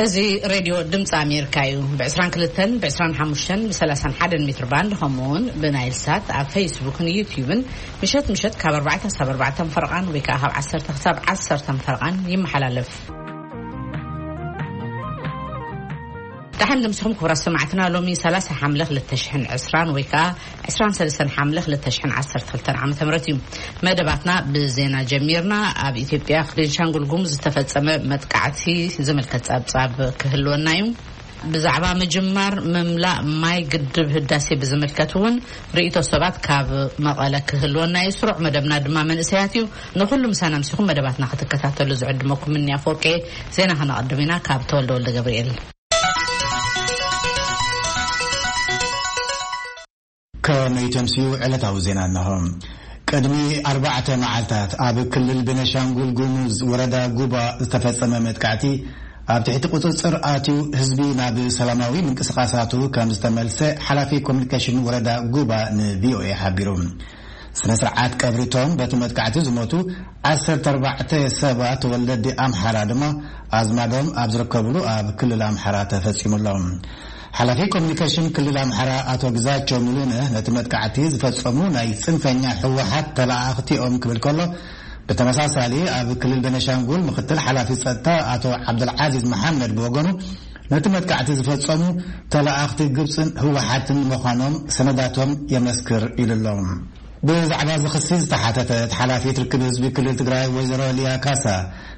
እዚ ሬድዮ ድምፂ ኣሜሪካ እዩ። ብ22፣ ብ25፣ ብ31 ሜትር ባንድ፣ ከምኡ እውን ብናይል ሳት ኣብ ፌስቡክን ዩትዩብን ምሸት ምሸት ካብ ኣርባዕተ ክሳብ ኣርባዕተ ፈረቓን ወይ ከዓ ካብ ዓሰርተ ክሳብ ዓሰርተ ፈረቓን ይመሓላለፍ። ደሓን ድምስኹም ክቡራት ሰማዕትና። ሎሚ ሰላሳ ሓምለ ክልተ ሽሕን ዕስራን ወይ ከዓ ዕስራን ሰለስተን ሓምለ ክልተ ሽሕን ዓሰርተ ክልተን ዓመተ ምህረት እዩ። መደባትና ብዜና ጀሚርና። ኣብ ኢትዮጵያ ቤንሻንጉል ጉሙዝ ዝተፈጸመ መጥቃዕቲ ዝምልከት ጸብጻብ ክህልወና እዩ። ብዛዕባ ምጅማር ምምላእ ማይ ግድብ ህዳሴ ብዝምልከት እውን ርእይቶ ሰባት ካብ መቐለ ክህልወና እዩ። ስሩዕ መደብና ድማ መንእሰያት እዩ። ንኹሉ ምሳና ምሲኹም መደባትና ክትከታተሉ ዝዕድመኩም እኒ ኣፈወርቂ። ዜና ከነቐድም ኢና ካብ ተወልደ ወልደ ገብርኤል። ከመይ ተምስዩ ዕለታዊ ዜና እነሆ። ቅድሚ ኣርባዕተ መዓልታት ኣብ ክልል ቤነሻንጉል ጉሙዝ ወረዳ ጉባ ዝተፈጸመ መጥቃዕቲ ኣብ ትሕቲ ቁጽጽር ኣትዩ ህዝቢ ናብ ሰላማዊ ምንቅስቓሳቱ ከም ዝተመልሰ ሓላፊ ኮሚኒኬሽን ወረዳ ጉባ ንቪኦኤ ሓቢሩ። ስነ ስርዓት ቀብሪቶም በቲ መጥቃዕቲ ዝሞቱ ዓሰርተ ኣርባዕተ ሰባት ተወለዲ ኣምሓራ ድማ ኣዝማዶም ኣብ ዝርከብሉ ኣብ ክልል ኣምሓራ ተፈጺሙሎም። ሓላፊ ኮሚኒኬሽን ክልል ኣምሓራ ኣቶ ግዛቸው ሙሉነህ ነቲ መጥቃዕቲ ዝፈጸሙ ናይ ጽንፈኛ ህወሓት ተላኣኽቲ እዮም ክብል ከሎ፣ ብተመሳሳሊ ኣብ ክልል ቤነሻንጉል ምክትል ሓላፊ ጸጥታ ኣቶ ዓብደልዓዚዝ መሓመድ ብወገኑ ነቲ መጥቃዕቲ ዝፈጸሙ ተላኣኽቲ ግብጽን ህወሓትን ምዃኖም ሰነዳቶም የመስክር ኢሉ ኣሎ። ብዛዕባ እዚ ክሲ ዝተሓተተት ሓላፊት ርክብ ህዝቢ ክልል ትግራይ ወይዘሮ ሊያ ካሳ፣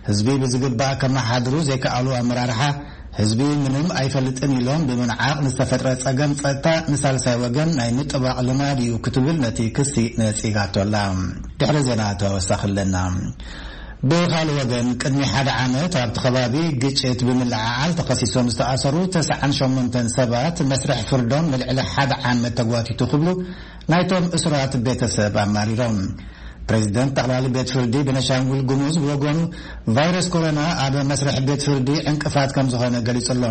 ህዝቢ ብዝግባእ ከመሓድሩ ዘይከኣሉ ኣመራርሓ፣ ህዝቢ ምንም ኣይፈልጥን ኢሎም ብምንዓቕ ንዝተፈጥረ ጸገም ጸጥታ ንሳልሳይ ወገን ናይ ምጥባቕ ልማድ እዩ ክትብል ነቲ ክሲ ነጺጋቶ ኣላ። ድሕሪ ዜና ተወሳኺ ኣለና። ብኻልእ ወገን ቅድሚ ሓደ ዓመት ኣብቲ ከባቢ ግጭት ብምልዕዓል ተኸሲሶም ዝተኣሰሩ ተስዓን ሸሞንተን ሰባት መስርሕ ፍርዶም ንልዕሊ ሓደ ዓመት ተጓቲቱ ክብሉ ናይቶም እሱራት ቤተሰብ ኣማሪሮም። ፕሬዚደንት ጠቕላሊ ቤት ፍርዲ ቤነሻንጉል ጉሙዝ ብወገኑ ቫይረስ ኮሮና ኣብ መስርሕ ቤት ፍርዲ ዕንቅፋት ከም ዝኾነ ገሊጹ ኣሎ።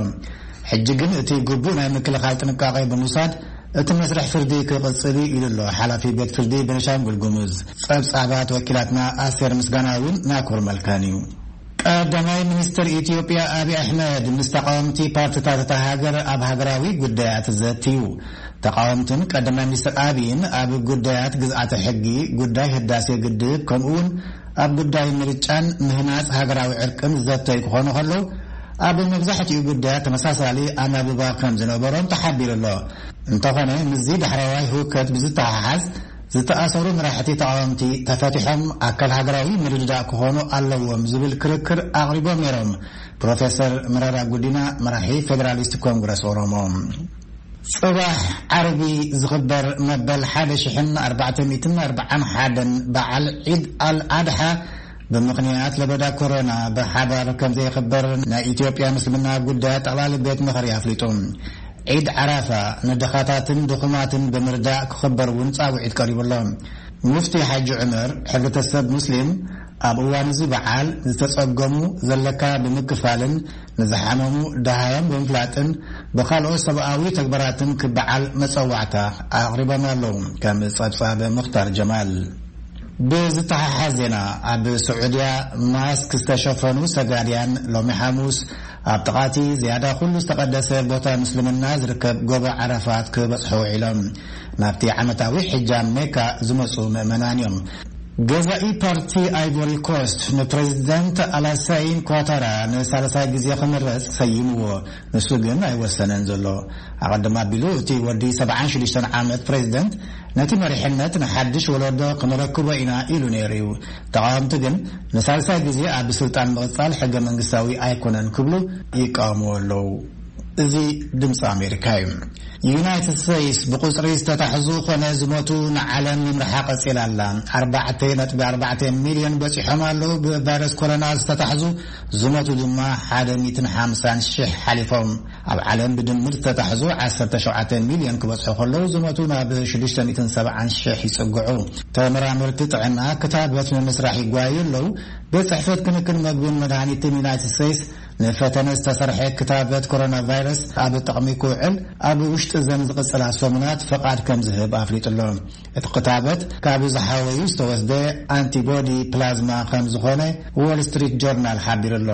ሕጂ ግን እቲ ግቡእ ናይ ምክልኻል ጥንቃቄ ብምውሳድ እቲ መስርሕ ፍርዲ ክቕጽል እዩ ኢሉ ኣሎ ሓላፊ ቤት ፍርዲ ቤነሻንጉል ጉሙዝ። ጸብጻባት ወኪላትና ኣስቴር ምስጋና እውን ናኮር መልካን እዩ። ቀዳማይ ሚኒስትር ኢትዮጵያ ኣብይ ኣሕመድ ምስ ተቃወምቲ ፓርቲታት እታ ሃገር ኣብ ሃገራዊ ጉዳያት ዘትዩ። ተቃወምትን ቀዳማይ ሚኒስትር ኣብይን ኣብ ጉዳያት ግዝኣተ ሕጊ፣ ጉዳይ ህዳሴ ግድብ፣ ከምኡ እውን ኣብ ጉዳይ ምርጫን ምህናጽ ሃገራዊ ዕርቅን ዘተዩ ክኾኑ ከለዉ፣ ኣብ መብዛሕትኡ ጉዳያት ተመሳሳሊ ኣናብባ ከም ዝነበሮም ተሓቢሩ ኣሎ። እንተኾነ ምስዚ ዳሕረዋይ ህውከት ብዝተሓሓዝ ዝተኣሰሩ መራሕቲ ተቓወምቲ ተፈቲሖም ኣካል ሃገራዊ ምርድዳእ ክኾኑ ኣለዎም ዝብል ክርክር ኣቕሪቦም ነይሮም ፕሮፌሰር መረራ ጉዲና፣ መራሒ ፌደራሊስት ኮንግረስ ኦሮሞ። ጽባሕ ዓርቢ ዝኽበር መበል ሓደ ሽሕን ኣርባዕተ ሚእትን ኣርባዓን ሓደን በዓል ዒድ ኣል ኣድሓ ብምኽንያት ለበዳ ኮሮና ብሓባር ከም ዘይኽበር ናይ ኢትዮጵያ ምስልምና ጉዳያት ጠቕላሊ ቤት ምኽሪ ኣፍሊጡ። ዒድ ዓራፋ ንድኻታትን ድኹማትን ብምርዳእ ክኽበር እውን ጻውዒት ቀሪቡ ኣሎ። ሙፍቲ ሓጂ ዑመር፣ ሕብረተሰብ ሙስሊም ኣብ እዋን እዚ በዓል ዝተጸገሙ ዘለካ ብምክፋልን ንዝሓመሙ ደሃዮም ብምፍላጥን ብኻልኦት ሰብኣዊ ተግባራትን ክበዓል መጸዋዕታ ኣቕሪቦም ኣለዉ። ከም ጸብጻብ ሙኽታር ጀማል። ብዝተሓሓዝ ዜና፣ ኣብ ስዑድያ ማስክ ዝተሸፈኑ ሰጋድያን ሎሚ ሓሙስ ኣብ ጥቓቲ ዝያዳ ኩሉ ዝተቐደሰ ቦታ ምስልምና ዝርከብ ጎቦ ዓረፋት ክበጽሑ ውዒሎም። ናብቲ ዓመታዊ ሕጃ ሜካ ዝመጹ ምእመናን እዮም። ገዛኢ ፓርቲ ኣይቮሪ ኮስት ንፕሬዚደንት ኣላሳይን ኳታራ ንሳልሳይ ግዜ ክምረጽ ሰይምዎ። ንሱ ግን ኣይወሰነን ዘሎ። ኣቐድም ኣቢሉ እቲ ወዲ ሰብዓን ሽዱሽተን ዓመት ፕሬዚደንት ነቲ መሪሕነት ንሓድሽ ወለዶ ክነረክቦ ኢና ኢሉ ነይሩ እዩ። ተቓወምቲ ግን ንሳልሳይ ግዜ ኣብ ስልጣን ምቕጻል ሕገ መንግስታዊ ኣይኮነን ክብሉ ይቃወምዎ ኣለዉ። እዚ ድምፂ ኣሜሪካ እዩ። ዩናይትድ ስቴትስ ብቁፅሪ ዝተታሕዙ ኮነ ዝሞቱ ንዓለም ምምርሓ ቀፂላ ኣላ። ኣርባዕተ ነጥቢ ኣርባዕተ ሚልዮን በፂሖም ኣለዉ። ብቫይረስ ኮሮና ዝተታሕዙ ዝሞቱ ድማ ሓደ ሚእትን ሓምሳን ሽሕ ሓሊፎም። ኣብ ዓለም ብድምር ዝተታሕዙ ዓሰርተ ሸውዓተ ሚልዮን ክበፅሑ ከለዉ ዝሞቱ ናብ ሽዱሽተ ሚእትን ሰብዓን ሽሕ ይፅግዑ። ተመራመርቲ ጥዕና ክታበት ንምስራሕ ይጓዩ ኣለዉ። ቤት ጽሕፈት ክንክን መግብን መድሃኒትን ዩናይትድ ስቴትስ ንፈተነ ዝተሰርሐ ክታበት ኮሮና ቫይረስ ኣብ ጥቕሚ ክውዕል ኣብ ውሽጢ ዘን ዝቕጽላ ሰሙናት ፈቓድ ከም ዝህብ ኣፍሊጡ ኣሎ። እቲ ክታበት ካብ ዝሓወዩ ዝተወስደ ኣንቲቦዲ ፕላዝማ ከም ዝኾነ ዎል ስትሪት ጆርናል ሓቢሩ ኣሎ።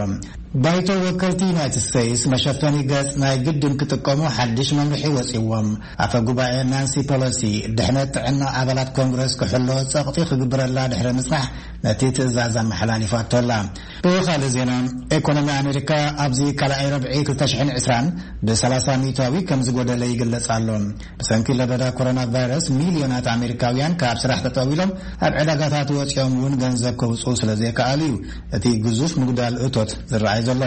ባይቶ ወከልቲ ዩናይትድ ስቴትስ መሸፈኒ ገጽ ናይ ግድን ክጥቀሙ ሓድሽ መምርሒ ወጺዎም። ኣፈ ጉባኤ ናንሲ ፖሎሲ ድሕነት ጥዕና ኣባላት ኮንግረስ ክሕሎ ጸቕጢ ክግብረላ ድሕሪ ምጽናሕ ነቲ ትእዛዝ ኣመሓላሊፋቶ ኣላ። ብኻልእ ዜና፣ ኢኮኖሚ ኣሜሪካ ኣብዚ ካልኣይ ረብዒ ክልተ ሽሕን ዕስራን ብ30 ሚእታዊ ከም ዝጎደለ ይግለጽ ኣሎ። ብሰንኪ ለበዳ ኮሮና ቫይረስ ሚልዮናት ኣሜሪካውያን ካብ ስራሕ ተጠዊሎም ኣብ ዕዳጋታት ወጺኦም እውን ገንዘብ ከውጽኡ ስለ ዘይከኣሉ እዩ እቲ ግዙፍ ምጉዳል እቶት ዝረኣይ ዘሎ።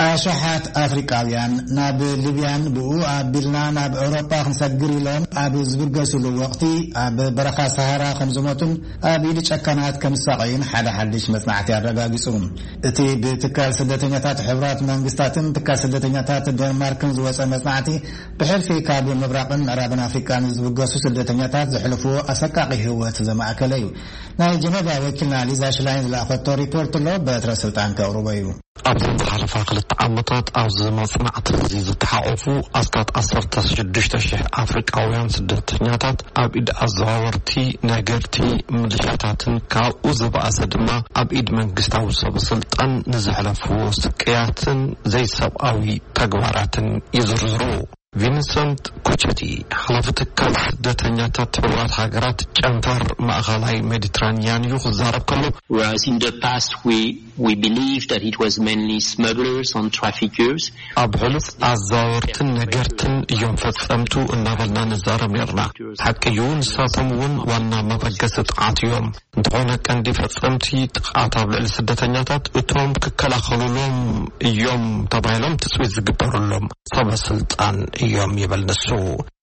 ኣሽሓት ኣፍሪቃውያን ናብ ሊብያን ብኡ ኣቢልና ናብ ኤውሮጳ ክንሰግር ኢሎም ኣብ ዝብገስሉ ወቕቲ ኣብ በረኻ ሰሃራ ከም ዝሞቱን ኣብ ኢድ ጨካናት ከም ዝሳቐዩን ሓደ ሓድሽ መጽናዕቲ ኣረጋጊጹ። እቲ ብትካል ስደተኛታት ሕቡራት መንግስታትን ትካል ስደተኛታት ዴንማርክን ዝወጸ መጽናዕቲ ብሕልፊ ካብ ምብራቕን ምዕራብን ኣፍሪቃን ዝብገሱ ስደተኛታት ዘሕልፍዎ ኣሰቃቂ ህይወት ዘማእከለ እዩ። ናይ ጀነቫ ወኪልና ሊዛ ሽላይን ዝለኣኸቶ ሪፖርት ኣሎ፣ በትረ ስልጣን ከቕርቦ እዩ። ኣብዘን ዝሓለፋ ክልተ ዓመታት ኣብዚ መጽናዕቲ እዚ ዝተሓቆፉ ኣስታት ዓሰርተ ሽዱሽተ ሽሕ ኣፍሪቃውያን ስደተኛታት ኣብ ኢድ ኣዘዋወርቲ፣ ነገድቲ፣ ምልሻታትን ካብኡ ዝበኣሰ ድማ ኣብ ኢድ መንግስታዊ ሰብ ስልጣን ንዘሕለፍዎ ስቅያትን ዘይሰብኣዊ ተግባራትን ይዝርዝሩ። ቪንሰንት ኩቸቲ፣ ሓላፊ ትካል ስደተኛታት ሕቡራት ሃገራት ጨንፈር ማእኸላይ ሜዲትራንያን እዩ ክዛረብ ከሎ፣ Whereas in the past we, we believe that it was mainly smugglers and traffickers. ኣብ ሕሉፍ ኣዛወርትን ነገርትን እዮም ፈጸምቱ እናበልና ንዛረብ ነርና። ሓቂ እዩ፣ ንሳቶም እውን ዋና መበገሲ ጥቓት እዮም። እንተኾነ ቀንዲ ፈጸምቲ ጥቓት ኣብ ልዕሊ ስደተኛታት እቶም ክከላኸሉሎም እዮም ተባሂሎም ትጽቢት ዝግበሩሎም ሰበ ስልጣን እዮም ይብል ንሱ።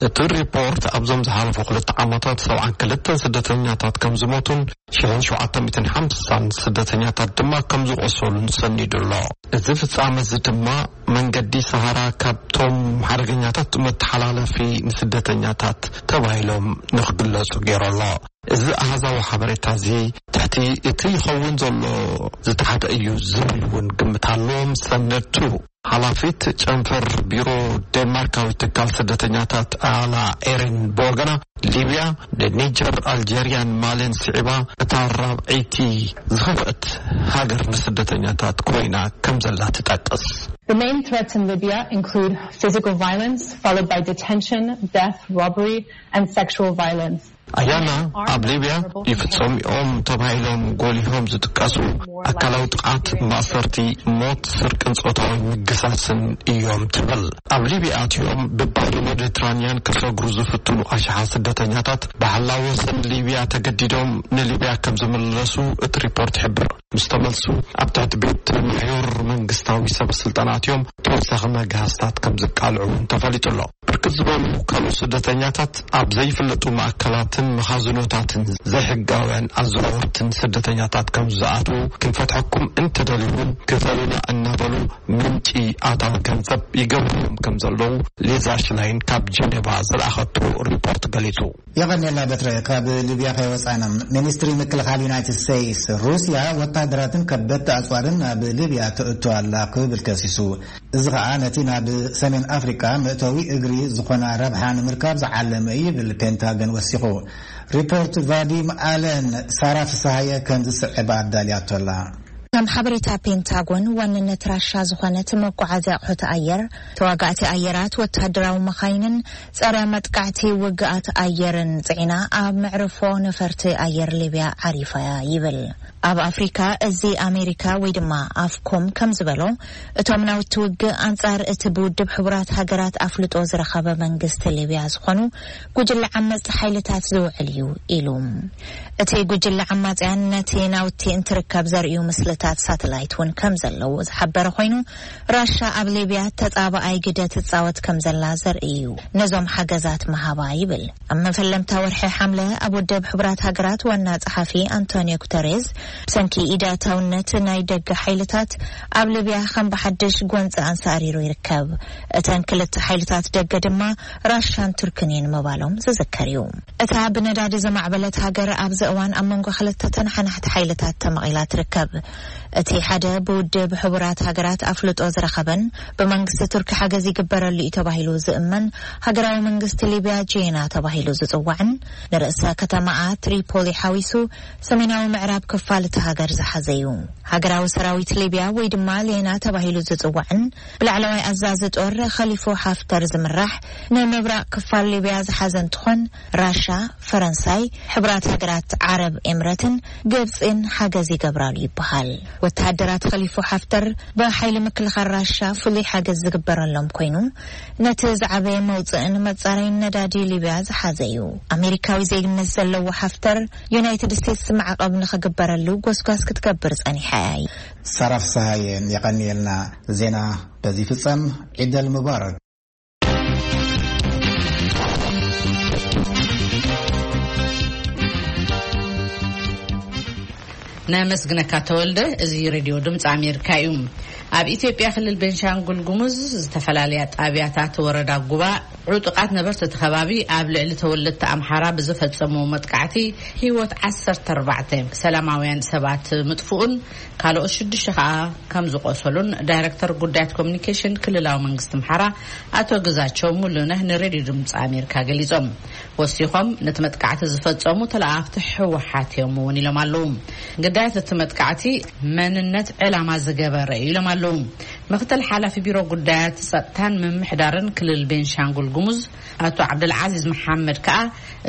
እቲ ሪፖርት ኣብዞም ዝሓለፉ ክልተ ዓመታት ሰብዓን ክልተን ስደተኛታት ከም ዝሞቱን ሽሕን ሸውዓተ ሚእትን ሓምሳን ስደተኛታት ድማ ከም ዝቆሰሉን ሰኒዱ ኣሎ። እዚ ፍጻመ እዚ ድማ መንገዲ ሰሃራ ካብቶም ሓደገኛታት መተሓላለፊ ንስደተኛታት ተባሂሎም ንክግለጹ ገይሩ ኣሎ። እዚ ኣሃዛዊ ሓበሬታ እዚ ትሕቲ እቲ ይኸውን ዘሎ ዝተሓተ እዩ ዝብል እውን ግምት ኣለዎም ሰነድቱ። ሓላፊት ጨንፈር ቢሮ ዴንማርካዊ ትካል ስደተኛታት ኣላ ኤሪን ብወገና፣ ሊብያ ንኒጀር፣ ኣልጀርያን ማልን ስዒባ እታ ራብዐይቲ ዝኸፍአት ሃገር ንስደተኛታት ኮይና ከም ዘላ ትጠቅስ። The main threats in Libya include physical violence, followed by detention, death, robbery, and sexual violence. ኣያና ኣብ ሊብያ ይፍጸሙ እዮም ተባሂሎም ጎሊሆም ዝጥቀሱ ኣካላዊ ጥቓት፣ ማእሰርቲ፣ ሞት፣ ስርቅን ጾታዊ ምግሳስን እዮም ትብል። ኣብ ሊብያ ኣትዮም ብባሕሪ ሜዲትራንያን ክሰግሩ ዝፍትኑ ኣሽሓት ስደተኛታት ብሓላው ወሰን ሊብያ ተገዲዶም ንሊብያ ከም ዝምለሱ እቲ ሪፖርት ይሕብር። ምስ ተመልሱ ኣብ ትሕቲ ቤት ማሕዮር መንግስታዊ ሰብ ስልጣን ኣትዮም ተወሳኺ መግሃስታት ከም ዝቃልዑ እውን ተፈሊጡ ኣሎ። ብርክት ዝበሉ ካልኦት ስደተኛታት ኣብ ዘይፍለጡ ማእከላትን መኻዝኖታትን ዘይሕጋውያን ኣዘዋወርትን ስደተኛታት ከም ዝኣትዉ፣ ክንፈትሐኩም እንተደሊኹም ክፈሉና እናበሉ ምንጪ ኣታዊ ገንዘብ ይገብርዎም ከም ዘለዉ ሊዛ ሽላይን ካብ ጀኔቫ ዝለኣኸቶ ሪፖርት ገሊጹ። የቐኔልና በትረ። ካብ ሊብያ ከይወጻና፣ ሚኒስትሪ ምክልኻል ዩናይትድ ስቴትስ፣ ሩስያ ወታደራትን ከበድቲ ኣጽዋርን ናብ ሊብያ ተእቱ ኣላ ክብል ከሲሱ። እዚ ኸኣ ነቲ ናብ ሰሜን ኣፍሪቃ መእተዊ እግሪ ዝኾና ረብሓ ንምርካብ ዝዓለመ እዩ ይብል ፔንታገን ወሲኹ። ሪፖርት ቫዲም ኣለን፣ ሳራ ፍስሃየ ከም ዝስዕብ ኣዳልያቶ ኣላ። ከም ሓበሬታ ፔንታጎን፣ ዋንነት ራሻ ዝኾነት መጓዓዝያ ኣቑሑት ኣየር፣ ተዋጋእቲ ኣየራት፣ ወታደራዊ መኻይንን ጸረ መጥቃዕቲ ውግኣት ኣየርን ጽዒና ኣብ መዕርፎ ነፈርቲ ኣየር ሊብያ ዓሪፋ እያ ይብል። ኣብ ኣፍሪካ፣ እዚ ኣሜሪካ ወይ ድማ ኣፍኮም ከም ዝበሎ፣ እቶም ናውቲ ውግእ ኣንጻር እቲ ብውድብ ሕቡራት ሃገራት ኣፍልጦ ዝረኸበ መንግስቲ ሊብያ ዝኾኑ ጉጅለ ዓመጽቲ ሓይልታት ዝውዕል እዩ ኢሉ። እቲ ጉጅለ ዓማጽያን ነቲ ናውቲ እንትርከብ ዘርእዩ ምስልታት ሳተላይት እውን ከም ዘለዎ ዝሓበረ ኮይኑ፣ ራሻ ኣብ ሊብያ ተጻባኣይ ግደ ትጻወት ከም ዘላ ዘርኢ እዩ ነዞም ሓገዛት ምሃባ ይብል። ኣብ መፈለምታ ወርሒ ሓምለ ኣብ ውድብ ሕቡራት ሃገራት ዋና ጸሓፊ ኣንቶኒዮ ጉተሬዝ፣ ብሰንኪ ኢዳታውነት ናይ ደገ ሓይልታት ኣብ ሊብያ ከም ብሓድሽ ጎንጺ ኣንሳሪሩ ይርከብ። እተን ክልተ ሓይልታት ደገ ድማ ራሻን ቱርክን እየን ምባሎም ዝዝከር እዩ። እታ ብነዳዲ ዘማዕበለት ሃገር ኣብዚ እዋን ኣብ መንጎ ክልተ ተነሓናሕቲ ሓይልታት ተመቒላ ትርከብ። እቲ ሓደ ብውድብ ሕቡራት ሃገራት ኣፍልጦ ዝረኸበን ብመንግስቲ ቱርኪ ሓገዝ ይግበረሉ እዩ ተባሂሉ ዝእመን ሃገራዊ መንግስቲ ሊብያ ጄና ተባሂሉ ዝጽዋዕን ንርእሰ ከተማኣ ትሪፖሊ ሓዊሱ ሰሜናዊ ምዕራብ ክፋል እቲ ሃገር ዝሓዘ እዩ። ሃገራዊ ሰራዊት ሊብያ ወይ ድማ ሌና ተባሂሉ ዝጽዋዕን ብላዕለዋይ ኣዛዚ ጦር ኸሊፎ ሓፍተር ዝምራሕ ንምብራቕ ክፋል ሊብያ ዝሓዘ እንትኾን ራሻ፣ ፈረንሳይ፣ ሕቡራት ሃገራት ዓረብ ኤምረትን ግብጽን ሓገዝ ይገብራሉ ይበሃል። ወተሃደራት ኸሊፎ ሓፍተር ብሓይሊ ምክልኻል ራሻ ፍሉይ ሓገዝ ዝግበረሎም ኮይኑ ነቲ ዝዓበየ መውፅእን መፃረይን ነዳዲ ሊብያ ዝሓዘ እዩ። ኣሜሪካዊ ዜግነት ዘለዎ ሓፍተር ዩናይትድ ስቴትስ ማዕቐብ ንኽግበረሉ ጎስጓስ ክትገብር ጸኒሓ እያ። ሰራፍ ሰሃየን የቐንየልና። ዜና በዚ ፍጸም። ዒደል ሙባረክ። ነመስግነካ ተወልደ። እዚ ሬድዮ ድምፂ ኣሜሪካ እዩ። ኣብ ኢትዮጵያ ክልል ቤንሻንጉል ጉሙዝ ዝተፈላለያ ጣብያታት ወረዳ ጉባ ዕጡቓት ነበርቲ እቲ ከባቢ ኣብ ልዕሊ ተወለድቲ ኣምሓራ ብዝፈጸሙ መጥቃዕቲ ህይወት ዓሰርተ ኣርባዕተ ሰላማውያን ሰባት ምጥፍኡን ካልኦት ሽዱሽተ ከኣ ከም ዝቆሰሉን ዳይረክተር ጉዳያት ኮሚኒኬሽን ክልላዊ መንግስቲ ኣምሓራ ኣቶ ግዛቸው ሙሉነህ ንሬድዮ ድምፂ ኣሜሪካ ገሊጾም። ወሲኾም ነቲ መጥቃዕቲ ዝፈጸሙ ተለኣኽቲ ህወሓት እዮም እውን ኢሎም ኣለዉ። ግዳያት እቲ መጥቃዕቲ መንነት ዕላማ ዝገበረ እዩ ኢሎም ኣለዉ። ምክትል ሓላፊ ቢሮ ጉዳያት ጸጥታን ምምሕዳርን ክልል ቤንሻንጉል ጉሙዝ ኣቶ ዓብደልዓዚዝ መሓመድ ከኣ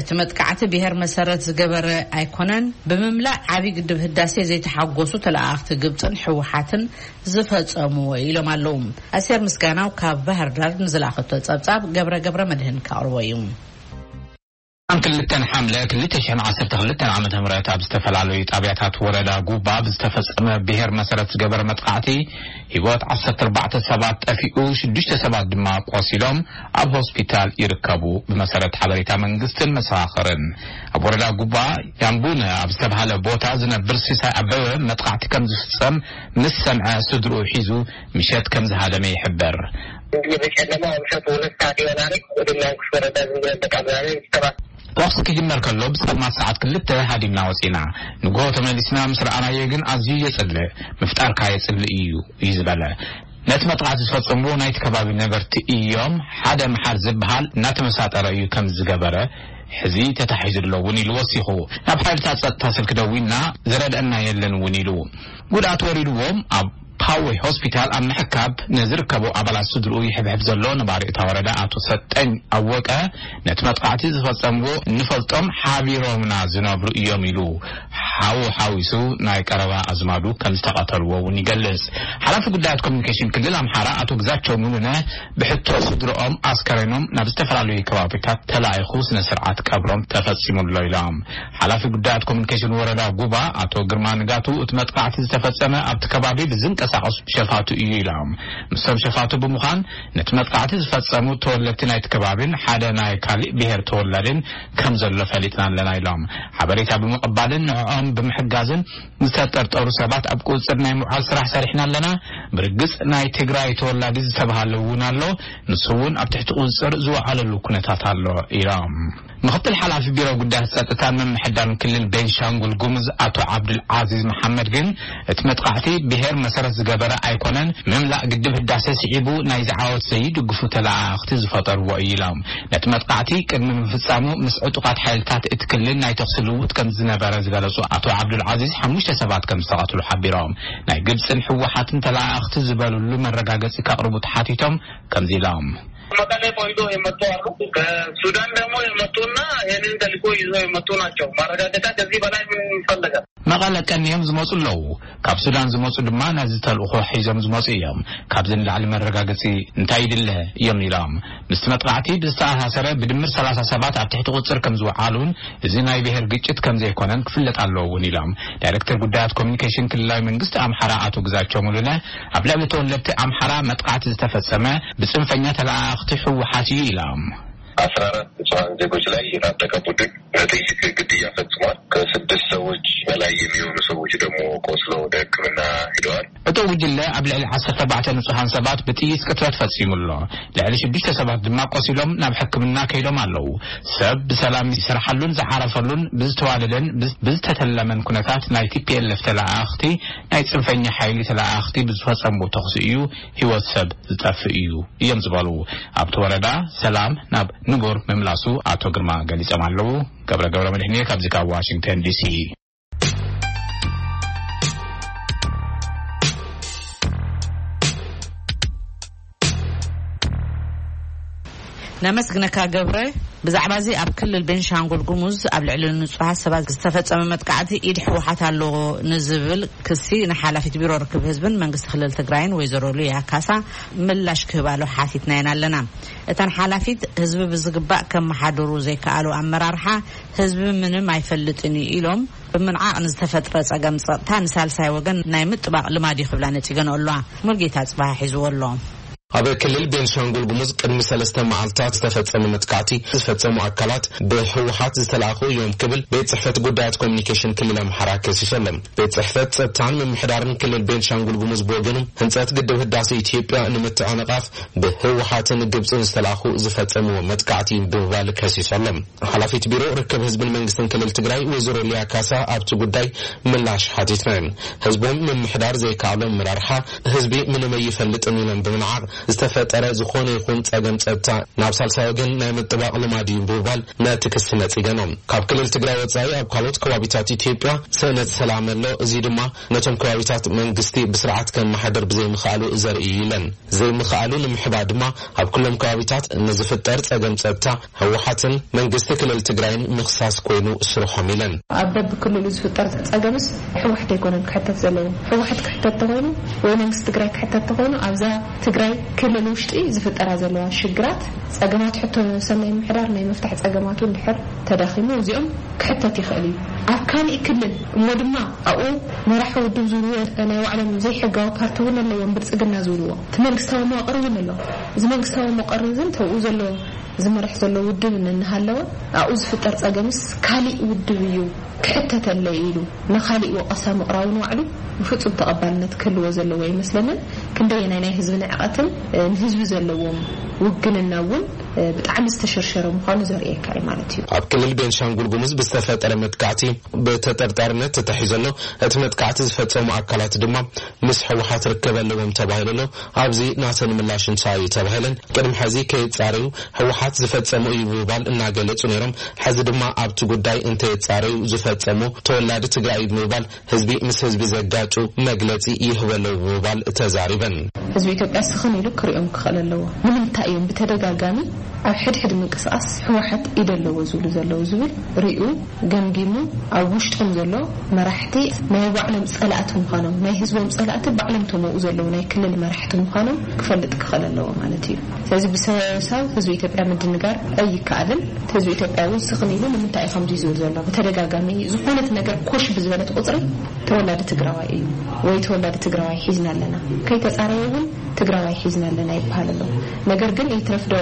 እቲ መጥቃዕቲ ብሄር መሰረት ዝገበረ ኣይኮነን፣ ብምምላእ ዓብዪ ግድብ ህዳሴ ዘይተሓጎሱ ተለኣኽቲ ግብፅን ህወሓትን ዝፈጸምዎ ኢሎም ኣለዉ። ኣስቴር ምስጋናው ካብ ባህር ዳር ንዝለኣኸቶ ጸብጻብ ገብረ ገብረ መድህን ከቕርቦ እዩ። ኣብ ክልተን ሓምለ ክልተ ሽሕን ዓሰርተ ክልተን ዓመተ ምህረት ኣብ ዝተፈላለዩ ጣብያታት ወረዳ ጉባ ብዝተፈጸመ ብሄር መሰረት ዝገበረ መጥቃዕቲ ህይወት ዓሰርተ ኣርባዕተ ሰባት ጠፊኡ፣ ሽዱሽተ ሰባት ድማ ቆሲሎም ኣብ ሆስፒታል ይርከቡ። ብመሰረት ሓበሬታ መንግስትን መሰኻኽርን፣ ኣብ ወረዳ ጉባ ያምቡነ ኣብ ዝተባሃለ ቦታ ዝነብር ሲሳይ ኣበበ መጥቃዕቲ ከም ዝፍጸም ምስ ሰምዐ ስድርኡ ሒዙ ምሸት ከም ዝሃደመ ይሕበር። በጨለማ ምሸት ሁለት ሰዓት ይሆናል። ወደ ሚያንኩሽ ወረዳ ዝም ብለን በቃ ምናምን ሰባት ተኩሲ ክጅመር ከሎ ብጸልማት ሰዓት ክልተ ሃዲምና ወጺና። ንግሆ ተመሊስና ምስ ረኣናዮ ግን ኣዝዩ የጽልእ፣ ምፍጣርካ የጽልእ እዩ እዩ ዝበለ። ነቲ መጥቃዕቲ ዝፈጸምዎ ናይቲ ከባቢ ነበርቲ እዮም። ሓደ መሓር ዝበሃል እናተመሳጠረ እዩ ከም ዝገበረ ሕዚ ተታሒዙ ኣሎ እውን ኢሉ ወሲኹ። ናብ ሓይልታት ጸጥታ ስልኪ ደዊልና ዝረድአና የለን እውን ኢሉ። ጉድኣት ወሪድዎም ኣብ ፓዌ ሆስፒታል ኣብ ምሕካብ ንዝርከቡ ኣባላት ስድርኡ ይሕብሕብ ዘሎ ነባሪ እታ ወረዳ ኣቶ ሰጠኝ ኣወቀ፣ ነቲ መጥቃዕቲ ዝፈጸምዎ እንፈልጦም ሓቢሮምና ዝነብሩ እዮም ኢሉ። ሓዉ ሓዊሱ ናይ ቀረባ ኣዝማዱ ከም ዝተቐተልዎ እውን ይገልጽ። ሓላፊ ጉዳያት ኮሚኒኬሽን ክልል ኣምሓራ ኣቶ ግዛቸው ሙሉነ ብሕቶ ስድርኦም ኣስከሬኖም ናብ ዝተፈላለዩ ከባቢታት ተላኢኹ ስነ ስርዓት ቀብሮም ተፈጺሙ ኣሎ ኢሎም። ሓላፊ ጉዳያት ኮሚኒኬሽን ወረዳ ጉባ ኣቶ ግርማ ንጋቱ፣ እቲ መጥቃዕቲ ዝተፈጸመ ኣብቲ ከባቢ ብዝንቀሳቐሱ ሸፋቱ እዩ ኢሎም። ምስቶም ሸፋቱ ብምዃን ነቲ መጥቃዕቲ ዝፈጸሙ ተወለድቲ ናይቲ ከባቢን ሓደ ናይ ካሊእ ብሄር ተወላድን ከም ዘሎ ፈሊጥና ኣለና ኢሎም። ሓበሬታ ብምቕባልን ንዕኦም ብምሕጋዝን ዝተጠርጠሩ ሰባት ኣብ ቁጽጽር ናይ ምውዓል ስራሕ ሰሪሕና ኣለና። ብርግጽ ናይ ትግራይ ተወላዲ ዝተባሃለ እውን ኣሎ። ንሱ እውን ኣብ ትሕቲ ቁጽጽር ዝወዓለሉ ኩነታት ኣሎ ኢሎም። ምክትል ሓላፊ ቢሮ ጉዳያት ጸጥታን ምምሕዳርን ክልል ቤንሻንጉል ጉሙዝ ኣቶ ዓብዱል ዓዚዝ መሓመድ ግን እቲ መጥቃዕቲ ብሄር መሰረት ዝገበረ ኣይኮነን፣ ምምላእ ግድብ ህዳሴ ስዒቡ ናይዚ ዓወት ዘይድግፉ ተለኣኣኽቲ ዝፈጠርዎ እዩ ኢሎም። ነቲ መጥቃዕቲ ቅድሚ ምፍጻሙ ምስ ዕጡቓት ሓይልታት እቲ ክልል ናይ ተኹሲ ልውውጥ ከም ዝነበረ ዝገለጹ ኣቶ ዓብዱል ዓዚዝ ሓሙሽተ ሰባት ከም ዝተቐትሉ ሓቢሮም። ናይ ግብጽን ህወሓትን ተለኣኣኽቲ ዝበሉሉ መረጋገጺ ከቕርቡ ተሓቲቶም ከምዚ ኢሎም። መቀሌ ቆይቶ የመጡ አሉ። ከሱዳን ደግሞ የመጡና ይህንን ተልእኮ ይዞ የመጡ ናቸው። ማረጋገጫ ከዚህ በላይ ምን ይፈለጋል? መቐለ ቀንዮም ዝመፁ ኣለዉ። ካብ ሱዳን ዝመፁ ድማ ነዚ ተልእኾ ሒዞም ዝመፁ እዮም። ካብዚ ንላዕሊ መረጋገፂ እንታይ ይድለ እዮም ኢሎም። ምስቲ መጥቃዕቲ ብዝተኣሳሰረ ብድምር ሰላሳ ሰባት ኣብ ትሕቲ ቁፅር ከም ዝወዓሉን እዚ ናይ ብሔር ግጭት ከም ዘይኮነን ክፍለጥ ኣለዎ እውን ኢሎም። ዳይሬክተር ጉዳያት ኮሚኒኬሽን ክልላዊ መንግስቲ ኣምሓራ ኣቶ ግዛቸው ሙሉነ ኣብ ልዕሊ ተወለድቲ ኣምሓራ መጥቃዕቲ ዝተፈጸመ ብጽንፈኛ ተለኣኣኽቲ ህወሓት እዩ ኢሎም። አስራ አራት ንጹሐን ዜጎች ላይ የታጠቀ ቡድን በጥይት ግድያ ፈጽሟል። ከስድስት ሰዎች በላይ የሚሆኑ ሰዎች ደግሞ ቆስለው ወደ ሕክምና ሄደዋል። እቲ ጉጅለ ኣብ ልዕሊ ዓሰርተ ኣርባዕተ ንጹሃን ሰባት ብጥይት ቅትለት ፈጺሙ ኣሎ። ልዕሊ ሽዱሽተ ሰባት ድማ ቆሲሎም ናብ ሕክምና ከይዶም ኣለዉ። ሰብ ብሰላም ዝሰርሓሉን ዝዓረፈሉን፣ ብዝተዋደደን ብዝ-፣ ብዝተተለመን ኩነታት ናይ ቲ ፒ ኤል ኤፍ ተለኣኣኽቲ፣ ናይ ጽንፈኛ ሓይሊ ተለኣኣኽቲ ብዝፈጸምዎ ተኹሲ እዩ ህይወት ሰብ ዝጠፍእ እዩ እዮም ዝበሉ። ኣብቲ ወረዳ ሰላም ናብ ንቡር ምምላሱ ኣቶ ግርማ ገሊጾም ኣለዉ። ገብረ ገብረ መድሕንየ ካብዚ ካብ ዋሽንግተን ዲ ሲ። ነመስግነካ ገብረ። ብዛዕባ እዚ ኣብ ክልል ቤንሻንጉል ጉሙዝ ኣብ ልዕሊ ንጹሃት ሰባት ዝተፈጸመ መጥቃዕቲ ኢድ ህወሓት ኣለዎ ንዝብል ክሲ ንሓላፊት ቢሮ ርክብ ህዝብን መንግስቲ ክልል ትግራይን ወይዘሮ ሉያ ካሳ ምላሽ ክህባሉ ሓቲትናየን ኣለና። እተን ሓላፊት ህዝቢ ብዝግባእ ከመሓድሩ ዘይከኣሉ ኣመራርሓ ህዝቢ ምንም ኣይፈልጥን እዩ ኢሎም ብምንዓቕ ንዝተፈጥረ ጸገም ጸጥታ ንሳልሳይ ወገን ናይ ምጥባቕ ልማድ እዩ ክብላ ነጺገን ኣለዋ። ሙልጌታ ጽባሕ ሒዝዎ ኣሎ። ኣብ ክልል ቤንሻንጉል ጉሙዝ ቅድሚ ሰለስተ መዓልታት ዝተፈጸመ መጥቃዕቲ ዝፈጸሙ ኣካላት ብህወሓት ዝተላእኹ እዮም ክብል ቤት ጽሕፈት ጉዳያት ኮሚኒኬሽን ክልል ኣምሓራ ከሲሱ ኣሎ። ቤት ጽሕፈት ጸጥታን ምምሕዳርን ክልል ቤንሻንጉል ጉሙዝ ብወገኑ ህንጸት ግድብ ህዳሴ ኢትዮጵያ ንምትዕንቓፍ ብህወሓትን ግብጽን ዝተላእኹ ዝፈጸምዎ መጥቃዕቲ ብምባል ከሲሱ ኣሎ። ሓላፊት ቢሮ ርክብ ህዝብን መንግስትን ክልል ትግራይ ወይዘሮ ሊያ ካሳ ኣብቲ ጉዳይ ምላሽ ሓቲትና። ህዝቦም ምምሕዳር ዘይከኣሎም መራርሓ ህዝቢ ምንም ኣይፈልጥን ኢሎም ብምንዓቕ ዝተፈጠረ ዝኾነ ይኹን ጸገም ጸጥታ ናብ ሳልሳይ ወገን ናይ ምጥባቕ ልማድ እዩ ብምባል ነቲ ክሲ ነጺገኖም። ካብ ክልል ትግራይ ወጻኢ ኣብ ካልኦት ከባቢታት ኢትዮጵያ ስእነት ሰላም ኣሎ። እዚ ድማ ነቶም ከባቢታት መንግስቲ ብስርዓት ከመሓድር ብዘይምኽኣሉ ዘርኢ እዩ ኢለን። ዘይምኽኣሉ ንምሕባእ ድማ ኣብ ኩሎም ከባቢታት ንዝፍጠር ጸገም ጸጥታ ህወሓትን መንግስቲ ክልል ትግራይን ምኽሳስ ኮይኑ ስርሖም ኢለን። ኣብ በብክልሉ ዝፍጠር ጸገምስ ህወሓት ኣይኮነን ክሕተት ዘለዎ። ህወሓት ክሕተት ተኾይኑ ወይ መንግስቲ ትግራይ ክሕተት ተኾይኑ ኣብዛ ትግራይ ክልል ውሽጢ ዝፍጠራ ዘለዋ ሽግራት ጸገማት ሕቶ ሰናይ ምሕዳር ናይ ምፍታሕ ጸገማቱ እንድሕር ተዳኺሙ እዚኦም ክሕተት ይኽእል እዩ። ኣብ ካሊእ ክልል እሞ ድማ ኣብኡ መራሒ ውድብ ዝብልዎ ናይ ባዕሎም ዘይሕጋዊ ፓርቲ እውን ኣለዎም፣ ብልጽግና ዝብልዎ። እቲ መንግስታዊ መዋቕር እውን ኣሎ። እዚ መንግስታዊ መዋቕር እዚ ተብኡ ዘሎ ዝመርሕ ዘሎ ውድብ እናሃለወ ኣብኡ ዝፍጠር ጸገምስ ካሊእ ውድብ እዩ ክሕተተለይ ኢሉ ንኻሊእ ወቐሳ ምቕራቡ ንባዕሉ ብፍጹም ተቐባልነት ክህልዎ ዘለዎ ኣይመስለንን። ክንደየናይ ናይ ህዝቢ ንዕቐትን፣ እ፣ ንህዝቢ ዘለዎም ውግንና እውን፣ እ፣ ብጣዕሚ ዝተሸርሸረ ምዃኑ ዘርእየካ እዩ ማለት እዩ። ኣብ ክልል ቤንሻንጉል ጉሙዝ ብዝተፈጠረ መጥቃዕቲ ብተጠርጣርነት ተታሒዙ ኣሎ። እቲ መጥቃዕቲ ዝፈጸሙ ኣካላት ድማ ምስ ህወሓት ርክብ ኣለዎም ተባሂሉ ኣሎ። ኣብዚ ናተን ምላሽ እንታይ እዩ ተባሂለን፣ ቅድሚ ሕዚ ከየጻረዩ ህወሓት ዝፈጸሙ እዩ ብምባል እናገለጹ ነይሮም። ሕዚ ድማ ኣብቲ ጉዳይ እንተየጻረዩ ዝፈጸሙ ተወላዲ ትግራይ እዩ ብምባል ህዝቢ ምስ ህዝቢ ዘጋጩ መግለጺ ይህበሉ ብምባል ተዛሪበን። ህዝቢ ኢትዮጵያ ስኽን ኢሉ ክሪኦም ክኽእል ኣለዎ። ንምንታይ እዮም ብተደጋጋሚ ኣብ ሕድሕድ ምንቅስቃስ ህወሓት ኢድ ኣለዎ ዝብሉ ዘለዉ ዝብል ሪኡ ገምጊሙ ኣብ ውሽጦም ዘሎ መራሕቲ ናይ ባዕሎም ጸላእቲ ምዃኖም፣ ናይ ህዝቦም ጸላእቲ ባዕሎም ተመኡ ዘለዉ ናይ ክልል መራሕቲ ምዃኖም ክፈልጥ ክኽእል ኣለዎ ማለት እዩ። ስለዚ ብሰበሳብ ህዝቢ ኢትዮጵያ ምድንጋር ኣይከኣልን። ህዝቢ ኢትዮጵያ እውን ስኽን ኢሉ ንምንታይ እዩ ከምዚ ዝብል ዘሎ? ብተደጋጋሚ ዝኾነት ነገር ኮሽ ብዝበለት ቁጽሪ ተወላዲ ትግራዋይ እዩ ወይ ተወላዲ ትግራዋይ ሒዝና ኣለና። ከይተጻረየ እውን ትግራዋይ ሒዝና ኣለና ይበሃል ኣሎ። ነገር ግን ይትረፍ ዶ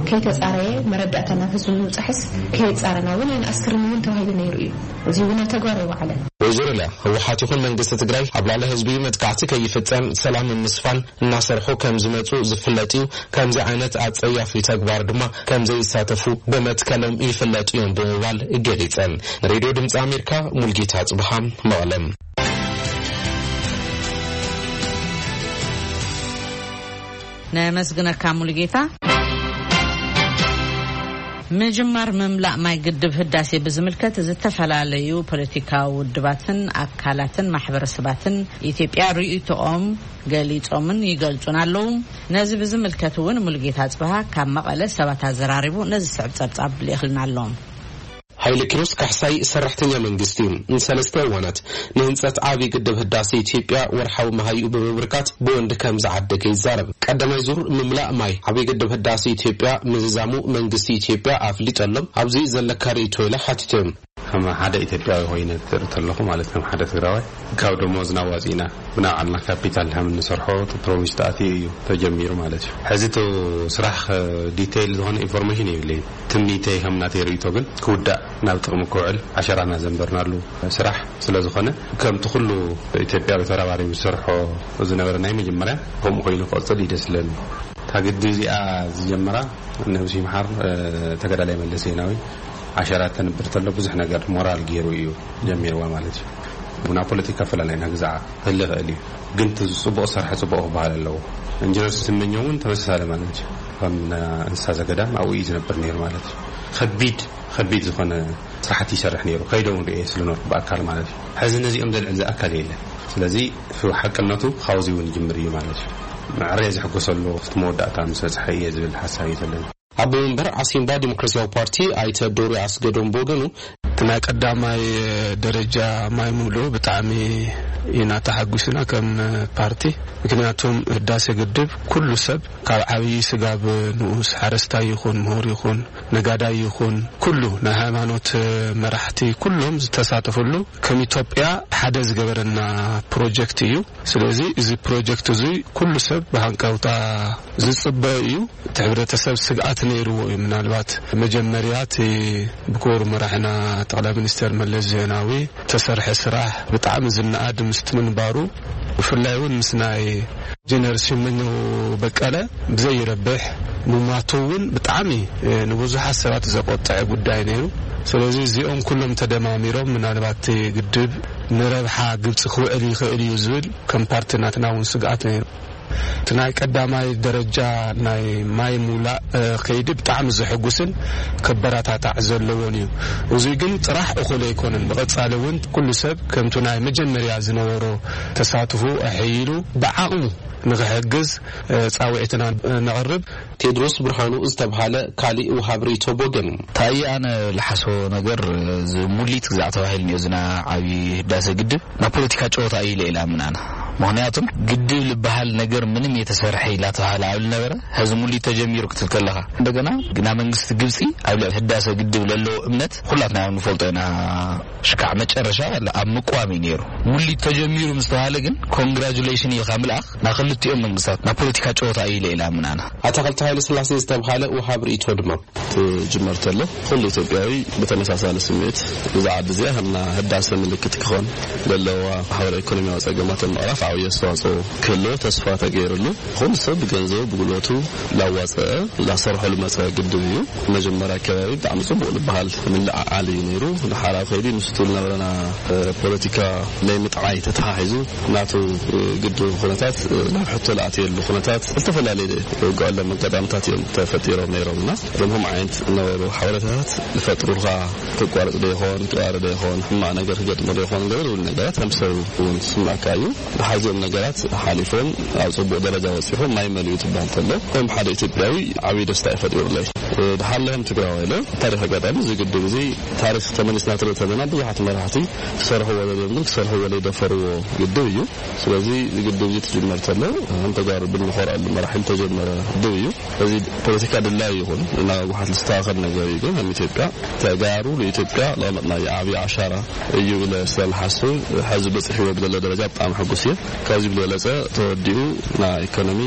ከይተጻረየ መረዳእታ ናብ ህዝቢ ንምብጻሕስ ከየጻረና እውን ኣይንኣስርን እውን ተባሂሉ ነይሩ እዩ። እዚ እውን ኣብ ተግባር ኣይወዓለን። ወይዘሮ ሊያ፣ ህወሓት ይኹን መንግስቲ ትግራይ ኣብ ልዕሊ ህዝቢ መጥቃዕቲ ከይፍጸም ሰላም ንምስፋን እናሰርሑ ከም ዝመጹ ዝፍለጥ እዩ። ከምዚ ዓይነት ኣጸያፊ ተግባር ድማ ከም ዘይሳተፉ ብመትከሎም ይፍለጡ እዮም ብምባል ገሊጸን። ንሬድዮ ድምጺ ኣሜሪካ ሙልጌታ ጽብሃ መቐለም። ነመስግነካ ሙሉጌታ። ምጅማር ምምላእ ማይ ግድብ ህዳሴ ብዝምልከት ዝተፈላለዩ ፖለቲካዊ ውድባትን ኣካላትን ማሕበረሰባትን ኢትዮጵያ ርእይቶኦም ገሊጾምን ይገልጹን ኣለዉ። ነዚ ብዝምልከት እውን ሙሉጌታ ጽብሃ ካብ መቐለ ሰባት ኣዘራሪቡ ነዚ ስዕብ ጸብጻብ ልኢኽልና ኣሎ። ሓይለ ኪሮስ ካሕሳይ ሰራሕተኛ መንግስቲ እዩ። ንሰለስተ እዋናት ንህንጸት ዓብዪ ግድብ ህዳሴ ኢትዮጵያ ወርሓዊ መሃይኡ ብምብርካት ብወንዲ ከም ዝዓደገ ይዛረብ። ቀዳማይ ዙር ምምላእ ማይ ዓብዪ ግድብ ህዳሴ ኢትዮጵያ ምዝዛሙ መንግስቲ ኢትዮጵያ ኣፍሊጡ ኣሎ። ኣብዚ ዘለካ ርእይቶ ኢለ ሓቲተዮም። ከም ሓደ ኢትዮጵያዊ ኮይነ ትርኢ ተለኹ ማለት ከም ሓደ ትግራዋይ ካብ ደሞዝና ዋፂና ብናይ ባዕልና ካፒታል ከም እንሰርሖ ፕሮሚስ ተኣትዩ እዩ ተጀሚሩ ማለት እዩ። ሕዚ እቲ ስራሕ ዲቴይል ዝኾነ ኢንፎርሜሽን የብለይን። ትምኒተይ ከም ናተይ ርእይቶ ግን ክውዳእ ናብ ጥቕሚ ክውዕል ዓሸራና ዘንበርናሉ ስራሕ ስለ ዝኾነ ከምቲ ኩሉ ኢትዮጵያዊ ተረባሪቡ ዝሰርሖ ዝነበረ ናይ መጀመርያ ከምኡ ኮይኑ ክቕፅል እዩ ደስ ዝለኒ። እታ ግድብ እዚኣ ዝጀመራ ነብሲ ይምሓር ተጋዳላይ መለስ ዜናዊ ዓሸራ ተንብር ተሎ ብዙሕ ነገር ሞራል ገይሩ እዩ ጀሚርዋ ማለት እዩ። ብና ፖለቲካ ፈላላይና ግዛዓ ክህሊ ይኽእል እዩ፣ ግን እቲ ጽቡቕ ዝሰርሐ ጽቡቕ ክበሃል ኣለዎ። ኢንጂነር ስመኘው እውን ተመሳሳሊ ማለት እዩ። ከም እንስሳ ዘገዳም ኣብኡ እዩ ዝነብር ነይሩ ማለት እዩ። ከቢድ ከቢድ ዝኾነ ስራሕቲ ይሰርሕ ነይሩ። ከይደ እውን ርእየ ስለነበርኩ ብኣካል ማለት እዩ። ሕዚ ነዚኦም ዘልዕል ዝኣካል የለን። ስለዚ ሓቅነቱ ካብዚ እውን ይጅምር እዩ ማለት እዩ። መዕረየ ዝሕጎሰሉ ክፍቲ መወዳእታ ምስ በፅሐ እየ ዝብል ሓሳብ እዩ ዘለኒ። ኣቦ መንበር ዓሲምባ ዲሞክራሲያዊ ፓርቲ ኣይተ ዶሪ ኣስገዶም ብወገኑ፣ እቲ ናይ ቀዳማይ ደረጃ ማይ ሙሉ ብጣዕሚ ኢና ተሓጒስና ከም ፓርቲ። ምክንያቱም ህዳሴ ግድብ ኩሉ ሰብ ካብ ዓብዪ ስጋብ ንኡስ ሓረስታይ ይኹን ምሁር ይኹን ነጋዳይ ይኹን ኩሉ ናይ ሃይማኖት መራሕቲ ኩሎም ዝተሳተፍሉ ከም ኢትዮጵያ ሓደ ዝገበረና ፕሮጀክት እዩ። ስለዚ እዚ ፕሮጀክት እዚ ኩሉ ሰብ ብሃንቀውታ ዝጽበ እዩ። እቲ ሕብረተሰብ ስግኣት ነይርዎ እዩ። ምናልባት መጀመርያ እቲ ብክቡር መራሕና ጠቕላይ ሚኒስተር መለስ ዜናዊ ተሰርሐ ስራሕ ብጣዕሚ ዝነኣድ ምስቲ ምንባሩ ብፍላይ እውን ምስ ናይ ኢንጂነር ስመኘው በቀለ ብዘይረብሕ ምሟቱ እውን ብጣዕሚ ንብዙሓት ሰባት ዘቆጠዐ ጉዳይ ነይሩ። ስለዚ እዚኦም ኩሎም ተደማሚሮም ምናልባት እቲ ግድብ ንረብሓ ግብፂ ክውዕል ይኽእል እዩ ዝብል ከም ፓርቲ ናትና እውን ስግኣት ነይሩ። እቲ ናይ ቀዳማይ ደረጃ ናይ ማይ ሙላእ ከይዲ ብጣዕሚ ዘሐጉስን ከበረታታዕ ዘለዎን እዩ። እዚ ግን ጥራሕ እኹል ኣይኮነን። ብቐፃሊ እውን ኩሉ ሰብ ከምቱ ናይ መጀመርያ ዝነበሮ ተሳትፎ ኣሐይሉ ብዓቕሙ ንክሕግዝ ፃውዒትና ነቕርብ። ቴድሮስ ብርሃኑ ዝተብሃለ ካሊእ ውሃብ ርእይቶ ብወገኑ። ታየ ኣነ ልሓስቦ ነገር እዚ ሙሊት ግዛዕ ተባሂሉ እኒኦ ዝና ዓብዪ ህዳሰ ግድብ ናብ ፖለቲካ ጨወታ እዩ ኢለ ኢላ ምናና። ምክንያቱም ግድብ ዝበሃል ነገር ምንም የተሰርሐ ኢላ ተባሃለ ኣብ ልነበረ ሕዚ ሙሊት ተጀሚሩ ክትብል ከለኻ እንደገና ግና መንግስቲ ግብፂ ኣብ ልዕሊ ህዳሰ ግድብ ለለዎ እምነት ኩላትና ንፈልጦ ኢና። ሽካዕ መጨረሻ ኣብ ምቋም እዩ ነይሩ። ሙሊት ተጀሚሩ ምስ ተባሃለ ግን ኮንግራጁሌሽን ኢልካ ምልኣኽ ናብ ክልቲኦም መንግስታት ናብ ፖለቲካ ጨወታ እዩ ኢለ ኢላ ምናና። ኣታኸልቲ ሃይለ ስላሴ ዝተብሃለ ውሃብ ርእይቶ ድማ። ትጅመር ተሎ ኩሉ ኢትዮጵያዊ ብተመሳሳሊ ስምዒት እዛ ዓዲ እዚኣ ከምና ህዳሰ ምልክት ክኾን ዘለዋ ማሕበራዊ ኢኮኖሚያዊ ጸገማት ንምቕራፍ ዓብዪ ኣስተዋጽኦ ክህልዎ ተስፋ ተገይርሉ ኩሉ ሰብ ብገንዘቡ ብጉልበቱ ላዋፀአ ላሰርሖ ልመፀ ግድብ እዩ። መጀመርያ ከባቢ ብጣዕሚ ፅቡቅ ዝበሃል ምልዕዓል እዩ ነይሩ። ንሓራብ ከይዲ ምስቱ ዝነበረና ፖለቲካ ናይ ምጥዓይ ተተሓሒዙ ናቱ ግድብ ኩነታት ናብ ሕቶ ዝኣትየሉ ኩነታት ዝተፈላለየ ውግኣሎም ኣጋጣምታት እዮም ተፈጢሮም ነይሮም እና እዞም ከምኡ ዓይነት ዝነበሩ ሓበሬታታት ዝፈጥሩልካ ክቋረፅ ዶ ይኾን ክባረ ዶ ይኾን ሕማቅ ነገር ክገጥሞ ዶ ይኾን ገለ ዝብል ነገራት ከም ሰብ እውን ዝስምዐካ እዩ። ሓዚኦም ነገራት ሓሊፎም ኣብ ጽቡቕ ደረጃ በጺሑ ማይ መሊኡ ትበሃል ተሎ ከም ሓደ ኢትዮጵያዊ ዓብዪ ደስታ እዩ ፈጢሩለይ። ድሓለህም ትግራዋይ ኢለ ታሪኽ ኣጋጣሚ እዚ ግድብ እዚ ታሪኽ ተመሊስና ትርኢ ተለና ብዙሓት መራሕቲ ክሰርሕዎ ዘለዎም ግን ክሰርሕዎ ዘይደፈርዎ ግድብ እዩ። ስለዚ እዚ ግድብ እዚ ትጅመር ተሎ ከም ተጋሩ ብንኾርዐሉ መራሒ ዝተጀመረ ግድብ እዩ። እዚ ፖለቲካ ድላይ ይኹን ናብ ህወሓት ዝስተኻኸል ነገር እዩ ግን ከም ኢትዮጵያ ተጋሩ ንኢትዮጵያ ለቐመጥናዮ ዓብዪ ዓሻራ እዩ ኢለ ስለዝሓስብ ሕዚ በፂሕዎ ብዘሎ ደረጃ ብጣዕሚ ሕጉስ እየ። ካብዚ ብዝበለፀ ተወዲኡ ናይ ኢኮኖሚ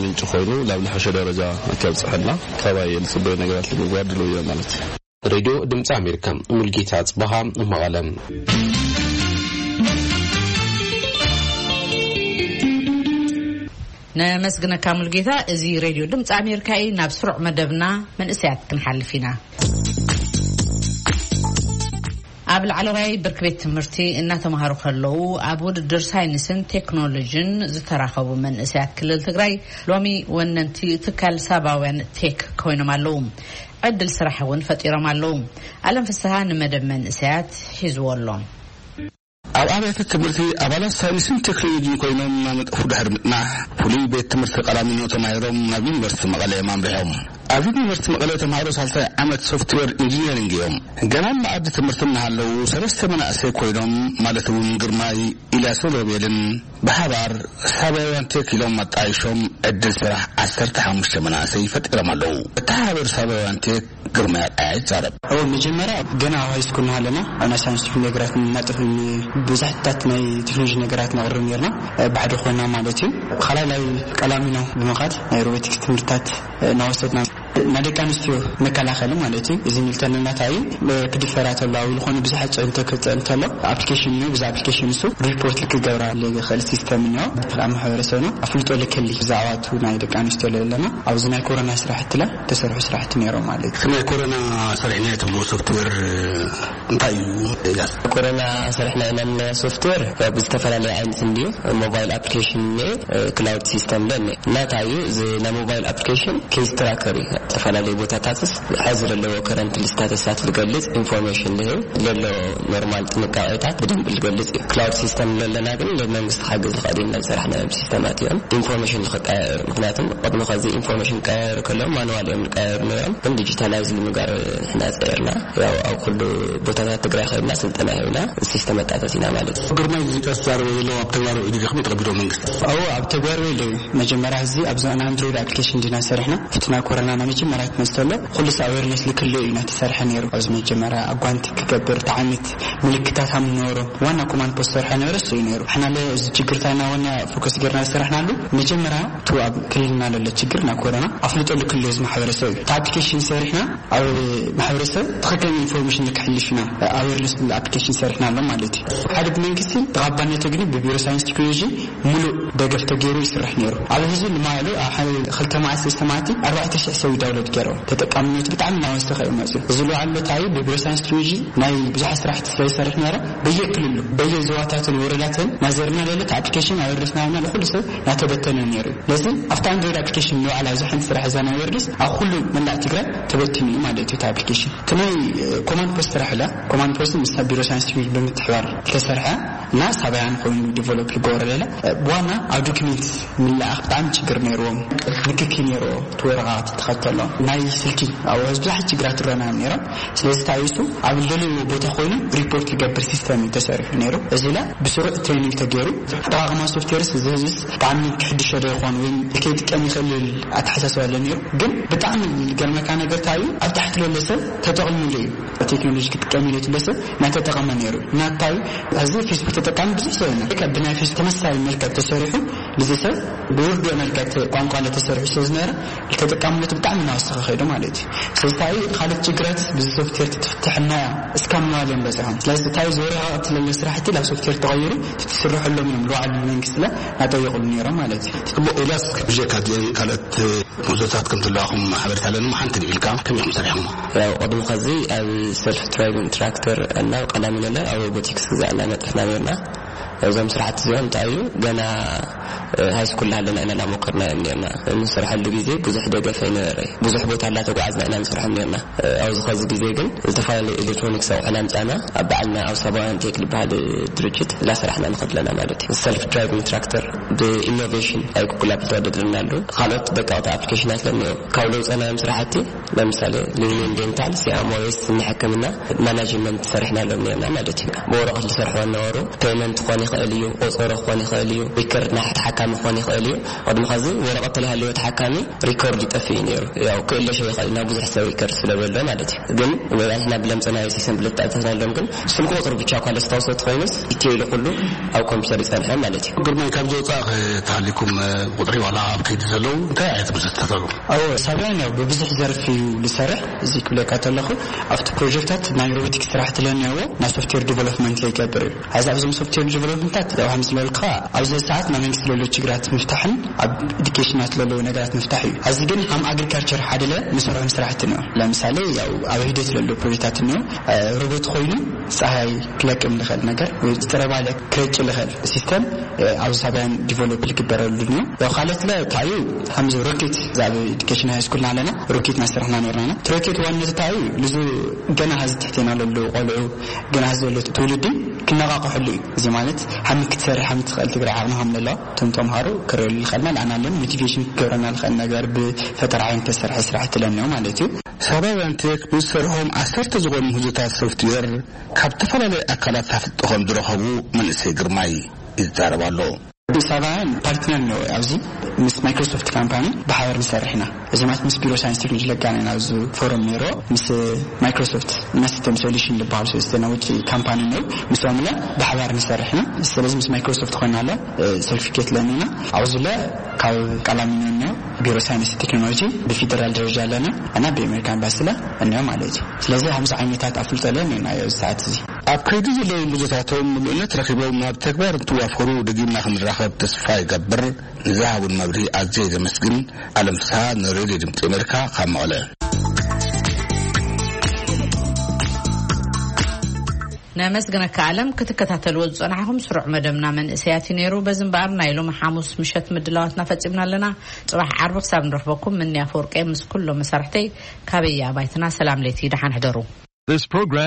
ምንጪ ኮይኑ ናብ ዝሐሸ ደረጃ ከብፅሐና ካባይ ዝፅበዩ ነገራት ንምግባር ድልው እየ ማለት እዩ። ሬድዮ ድምፂ ኣሜሪካ ሙልጌታ ጽበሃ መቐለ። ነመስግነካ ሙልጌታ። እዚ ሬድዮ ድምፂ ኣሜሪካ እዩ። ናብ ስሩዕ መደብና መንእሰያት ክንሓልፍ ኢና። ኣብ ላዕለዋይ ብርኪ ቤት ትምህርቲ እናተምሃሩ ከለዉ ኣብ ውድድር ሳይንስን ቴክኖሎጂን ዝተራኸቡ መንእሰያት ክልል ትግራይ ሎሚ ወነንቲ ትካል ሳባውያን ቴክ ኮይኖም ኣለዉ። ዕድል ስራሕ እውን ፈጢሮም ኣለዉ። ኣለም ፍስሃ ንመደብ መንእሰያት ሒዝዎ ኣሎ። ኣብ ኣብያተ ትምህርቲ ኣባላት ሳይንስን ቴክኖሎጂን ኮይኖም እናነጠፉ ድሕሪ ምጽናሕ ፍሉይ ቤት ትምህርቲ ቀላሚኖ ተማሂሮም ናብ ዩኒቨርሲቲ መቐለ እዮም ኣምሪሖም። ኣብዚ ዩኒቨርሲቲ መቐለ ተምሃሮ ሳልሳይ ዓመት ሶፍትዌር ኢንጂነሪንግ እዮም። ገና ኣብ መኣዲ ትምህርቲ እናሃለዉ ሰለስተ መናእሰይ ኮይኖም፣ ማለት እውን ግርማይ፣ ኢልያስን ሮቤልን ብሓባር ሳባውያን ቴክ ኢሎም ኣጣይሾም ዕድል ስራሕ ዓሰርተ ሓሙሽተ መናእሰይ ፈጢሮም ኣለዉ። እተሓባበሪ ሳባውያን ቴክ ግርማይ ኣርኣያ ይዛረብ። ኣብ መጀመርያ ገና ኣብ ሃይስኩል እናሃለና ኣብ ናይ ሳይንስ ቴክኖሎጂ ነገራት እናጠፍን ብዙሕታት ናይ ቴክኖሎጂ ነገራት ነቕርብ ነርና። ብሓደ ኮይና ማለት እዩ። ካልኣይ ቀላሚኖ ብምኻድ ናይ ሮቦቲክስ ትምህርትታት እናወሰድና ናይ ደቂ ኣንስትዮ መከላኸሊ ማለት እዩ። እዚ ንልተን እናታይ ክድፈራ ተሎ ኣብ ዝኾነ ብዙሓት ፅዕንቶ ክፅዕን ተሎ ኣፕሊኬሽን እዩ። ብዛ ኣፕሊኬሽን እሱ ሪፖርት ክገብራ ዝኽእል ሲስተም እኒኦ። ኣብ ማሕበረሰብና ኣፍልጦ ልክሊ ብዛዕባ እቲ ናይ ደቂ ኣንስትዮ ለለና ኣብዚ ናይ ኮሮና ስራሕቲ ላ ተሰርሑ ስራሕቲ ነይሮም ማለት እዩ። ናይ ኮሮና ሰሪሕና ትብሉ ሶፍትዌር እንታይ እዩ? ኢላስ ኮሮና ሰሪሕና ኢና ንብሎ ሶፍትዌር ያው ብዝተፈላለየ ዓይነት እንድዩ። ሞባይል ኣፕሊኬሽን እኒኦ፣ ክላውድ ሲስተም ለ እኒኦ። ናታ እዩ እዚ ናይ ሞባይል ኣፕሊኬሽን ኬስ ትራከር እዩ። ዝተፈላለዩ ቦታታትስ ሐዚ ዘለዎ ከረንት ስታተሳት ዝገልጽ ኢንፎርሜሽን ዝህብ ዘሎ ኖርማል ጥንቃቄታት ብደንብ ዝገልጽ እዩ። ክላውድ ሲስተም ዘለና ግን ንመንግስቲ ክሓግዝ ዝኽእል እዩ። ዝሰራሕናዮም ሲስተማት እዮም ኢንፎርሜሽን ንኽቀያየሩ። ምክንያቱም ቅድሚ ከዚ ኢንፎርሜሽን ቀያየሩ ከለዎም ማኑዋል እዮም ዝቀያየሩ ነይሮም። ግን ዲጂታላይዝ ንምጋር ንሕና ጸዒርና። ያው ኣብ ኩሉ ቦታታት ትግራይ ከይድና ስልጠና ሂብና ሲስተም ኣጣፈሲና ማለት እዩ። ግርማይ፣ እዚ ቀስ ዛረበ ዘሎ ኣብ ተግባር ውዒሉ ዲኹም ተቐቢሎ መንግስቲ? ኣዎ፣ ኣብ ተግባር ውዒሉ እዩ። መጀመርያ እዚ ኣብዚ ናይ ኣንድሮይድ ኣፕሊኬሽን ዲና ሰሪሕና። ኣብቲ ናይ ኮሮና ናይ መጀመርያ ክመጽእ ከሎ ኩሉ ሰብ ኣዌርነስ ልክልኡ እዩ እናተሰርሐ ነይሩ። ኣብዚ መጀመርያ ኣጓንቲ ክገብር፣ እቲ ዓይነት ምልክታት ሃም ነበሮ። ዋና ኮማንድ ፖስት ሰርሐ ነበረ እሱ እዩ ነይሩ። ሕና ለ እዚ ችግር ታይና ዋና ፎከስ ጌርና ዝሰራሕናሉ መጀመርያ እቲ ኣብ ክልልና ለሎ ችግር ናይ ኮሮና ኣፍልጦ ልክልኡ እዚ ማሕበረሰብ እዩ። እቲ ኣፕሊኬሽን ሰሪሕና ኣብ ማሕበረሰብ ትኽክለኛ ኢንፎርሜሽን ንክሕልፍ ኢና ኣዌርነስ ዝብል ኣፕሊኬሽን ሰሪሕና ኣሎ ማለት እዩ። ሓደ ብመንግስቲ ተቐባልነቱ ግን ብቢሮ ሳይንስ ቴክኖሎጂ ሙሉእ ደገፍ ተገይሩ ይስራሕ ነይሩ። ኣብ ህዝቢ ንማዕሉ ኣብ ሓደ ክልተ መዓልቲ ሰለስተ መዓልቲ ኣርባዕተ ሽሕ ሰብ ዳውንሎድ ገይሮም። ተጠቃምነቱ ብጣዕሚ እናወሰኸ እዩ መፅኡ። እዚ ዝለዓሉ እንታይ እዩ? ብቢሮ ሳይንስ ቴክኖሎጂ ናይ ብዙሓት ስራሕቲ ስለ ዝሰርሕ ነበረ በየክልሉ በየዞባታትን ወረዳትን ናዘርና ለለት ኣፕሊኬሽን ኣወርድስና ንኩሉ ሰብ እናተበተነ ነይሩ። ስለዚ ኣብታ ኣንድሮይድ ኣፕሊኬሽን ንባዕላ ኣብዚ ሓንቲ ስራሕ እዛ ናይ ወርድስ ኣብ ኩሉ መላእ ትግራይ ተበቲኑ እዩ ማለት እዩ እቲ ኣፕሊኬሽን። እቲ ናይ ኮማንድ ፖስት ስራሕ ኢላ ኮማንድ ፖስት ምስ ቢሮ ሳይንስ ቴክኖሎጂ ብምትሕባር ዝተሰርሐ እና ሳባያን ኮይኑ ዲቨሎፕ ዝገበረ ሌላ ብዋና ኣብ ዶክሜንት ምልኣኽ ብጣዕሚ ችግር ነይርዎም። ንክኪ ነይርዎ እቲ ወረቓቕቲ ተኸተሎ ናይ ስልኪ ኣብ ብዙሓት ችግራት ትረና ነይሮም። ስለዚ ታይሱ ኣብ ልደልዎ ቦታ ኮይኑ ሪፖርት ዝገብር ሲስተም እዩ ተሰሪሑ ነይሩ። እዚ ላ ብስሩዕ ትሬኒንግ ተገይሩ። ኣጠቓቕማ ሶፍትዌርስ እዚ ህዝብስ ብጣዕሚ ክሕድሾ ዶ ይኾን ወይ ከይጥቀም ይኽእል ኣተሓሳስባ ኣሎ ነይሩ። ግን ብጣዕሚ ዝገርመካ ነገር እንታይ እዩ? ኣብ ታሕቲ ለለ ሰብ ተጠቕምሉ እዩ። ቴክኖሎጂ ክጥቀም ኢለ ትብለ ሰብ ናይ ተጠቐመ ነይሩ። ናታይ እዚ ፌስቡክ ተጠቃሚ ብዙሕ ሰብ ኢና። ከ ብናይ ፌስቡክ ተመሳሳሊ መልክዕ ተሰሪሑ፣ እዚ ሰብ ብውርዶ መልክዕ ተ-፣ ቋንቋ ለ ተሰሪሑ ስለ ዝነበረ፣ ተጠቃምነቱ ብጣዕሚ እናወሰኸ ከይዱ ማለት እዩ። ስለዚ እንታይ ካልእ ችግራት ብዚ ሶፍትዌር ትፍትሕና እያ እስካብ ምባል እዮም በፂሖም። ስለዚ እንታይ እዚ ወረቓቕቲ ለለ ስራሕቲ ናብ ሶፍትዌር ተቐይሩ ትስርሐሎም እዮም ልባዕሉ መንግስቲ ለ እናጠየቑሉ ነይሮም ማለት እዩ። ጽቡቕ፣ ኢልያስ፣ ብጀካ እዚአን ካልኦት ምህዞታት ከም ዘለዋኹም ሓበሬታ ኣለኒ። ሓንቲ ንኢልካ ከመይ ኢኹም ሰሪሕኹም? ያው ቅድሚ ከዚ ኣብ ሰልፍ ድራይቪንግ ትራክተር እና ቀዳሚ ነለ ኣብ ሮቦቲክስ ግዛዕ እና ነጥፍና ነርና። እዞም ስራሕቲ እዚኦም እንታይ እዩ? ገና ሃይ ስኩል ሃለና ኢና እናሞከርና እዮም ነርና። እንሰርሐሉ ግዜ ብዙሕ ደገፍ ኣይነበረ። ብዙሕ ቦታ እናተጓዓዝና ኢና ንሰርሖም ነርና። ኣብዚ ከዚ ግዜ ግን ዝተፈላለዩ ኤሌክትሮኒክስ ኣቑሑ እናምጻና ኣብ ባዕልና ኣብ ሳባውያን ቴክ ዝበሃል ድርጅት እናሰራሕና ንኸድ ኣለና ማለት እዩ። ሰልፍ ድራይቪንግ ትራክተር ብኢኖቬሽን ኣይ ጉግል ኣፕል ተወዳድርና ኣሉ። ካልኦት ደቀቕቲ ኣፕሊኬሽናት ለኒኦ ካብ ለውፀናዮም ስራሕቲ ለምሳሌ ሊኒየን ዴንታል፣ ሲያም ዌስት፣ ንሕክምና ማናጅመንት ሰሪሕናሎም ነርና ማለት እዩ። ብወረቐት ዝሰርሕዎ ነበሩ። ፔመንት ክኾን ይኽእል እዩ፣ ቆፀሮ ክኾን ይኽእል እዩ፣ ሪከርድ ናይ ተሓካሚ ክኾን ይኽእል እዩ። ቅድሚ ከዚ ወረቐት ተለሃለዮ ተሓካሚ ሪኮርድ ይጠፍእ እዩ ነይሩ። ያው ክእለሸ ይኽእል ናብ ብዙሕ ሰብ ሪከርድ ስለ ዘሎ ማለት እዩ። ግን ወይ ንሕና ብለምፀናዮ ሲስተም ብለተኣተናሎም ግን ስልኪ ቁፅሪ ብቻ እኳ ለስታውሰት ኮይኑስ ኢትዮ ኢሉ ኩሉ ኣብ ኮምፒውተር ይፀንሐ ማለት እዩ። ግርማይ፣ ካብ ዘውፃእ ተሃሊኩም ቁፅሪ ዋላ ኣብ ከይዲ ዘለዉ እንታይ ዓይነት ምስልታት ኣለዉ? ኣዎ፣ ሳብያን ያው ብብዙሕ ዘርፊ እዩ ዝሰርሕ። እዚ ክብለካ ተለኹ ኣብቲ ፕሮጀክታት ናይ ሮቦቲክስ ስራሕቲ ለኒኦዎ ናይ ሶፍትዌር ዲቨሎፕመንት ለይገብር እዩ። ሕዚ ኣብዞም ሶፍትዌር ዲቨሎፕመንታት ያው ከም ዝበልካ ኣብዚ ሰዓት ናይ መንግስቲ ለሎ ችግራት ምፍታሕን ኣብ ኤዱኬሽናት ለለዉ ነገራት ምፍታሕ እዩ። እዚ ግን ሃም ኣግሪካልቸር ሓደለ ንሰርሖም ስራሕቲ ነው። ለምሳሌ ያው ኣብ ሂደት ለሎ ፕሮጀክታት ነው ሮቦት ኮይኑ ፀሃይ ክለቅም ልኽእል ነገር ወይ ዝጥረባለ ክረጭ ልኽእል ሲስተም ኣብ ሳብያን ዲቨሎፕ ልግበረሉ ነው። ያው ካልኦት ለ ታዩ ከምዚ ሮኬት ዛብ ኤዱኬሽን ሃይ ስኩልና ኣለና ሮኬት ናሰርሕና ነርና ኢና። እቲ ሮኬት ዋነት ታዩ ልዙ ገና ሀዚ ትሕቴና ለሉ ቆልዑ ገና ሀዚ ዘሎ ትውልዲ ክነቃቀሐሉ እዩ። እዚ ማለት ሓሚ ክትሰርሕ ሓሚ ትኽእል ትግራይ ዓቕሚ ከም ዘሎ እቶም ተምሃሮ ክረሉ ይኽእልና። ለኣና ለን ሞቲቬሽን ክገብረና ዝኽእል ነገር ብፈጠራ ዓይነት ተሰርሐ ስራሕቲ ለንዮ ማለት እዩ። ሳባውያን ቴክ ብዝሰርሖም ዓሰርተ ዝኾኑ ምህዞታት ሶፍትዌር ካብ ዝተፈላለዩ ኣካላት ኣፍልጦ ከም ዝረኸቡ መንእሰይ ግርማይ ይዛረብ ኣሎ። ሳባውያን ፓርትነር ነው ኣብዚ ምስ ማይክሮሶፍት ካምፓኒ ብሓበር ንሰርሕ ኢና። እዚ ማለት ምስ ቢሮ ሳይንስ ቴክኖሎጂ ለጋና ኢና ኣብዚ ፎረም ነይሮ ምስ ማይክሮሶፍት እና ሲስተም ሶሉሽን ዝበሃሉ ሰለስተ ናይ ውጭ ካምፓኒ ነው። ምስኦም ለ ብሓባር ንሰርሕ ኢና። ስለዚ ምስ ማይክሮሶፍት ኮይና ለ ሰርቲፊኬት ለኒና ኣብዚ ለ ካብ ቀላሚኖ ነው ቢሮ ሳይንስ ቴክኖሎጂ ብፌደራል ደረጃ ኣለና እና ብኣሜሪካ ኤምባሲ ለ እንዮ ማለት እዩ። ስለዚ ከምዚ ዓይነታት ኣፍልጦ ለ ነና ኣብዚ ሰዓት እዚ ኣብ ከይዲ ዘለዉ ምህዞታቶም ምሉእነት ረኺቦም ናብ ተግባር እንትዋፈሩ ደጊምና ክንራኸብ ተስፋ ይገብር። ንዝሃቡን መብርሂ ኣዝየ ዘመስግን። ኣለም ፍስሃ ንሬድዮ ድምፂ ኣሜሪካ ካብ መቐለ። ነመስግነካ ኣለም። ክትከታተልዎ ዝፀናሕኹም ስሩዕ መደብና መንእሰያት እዩ ነይሩ። በዚ እምበኣር ናይ ሎሚ ሓሙስ ምሸት ምድላዋትና ፈፂምና ኣለና። ፅባሕ ዓርቢ ክሳብ ንረኽበኩም ምንያ ፈወርቀ ምስ ኩሎም መሳርሕተይ ካበይ ኣባይትና ሰላም ለይቲ ደሓን ሕደሩ። This program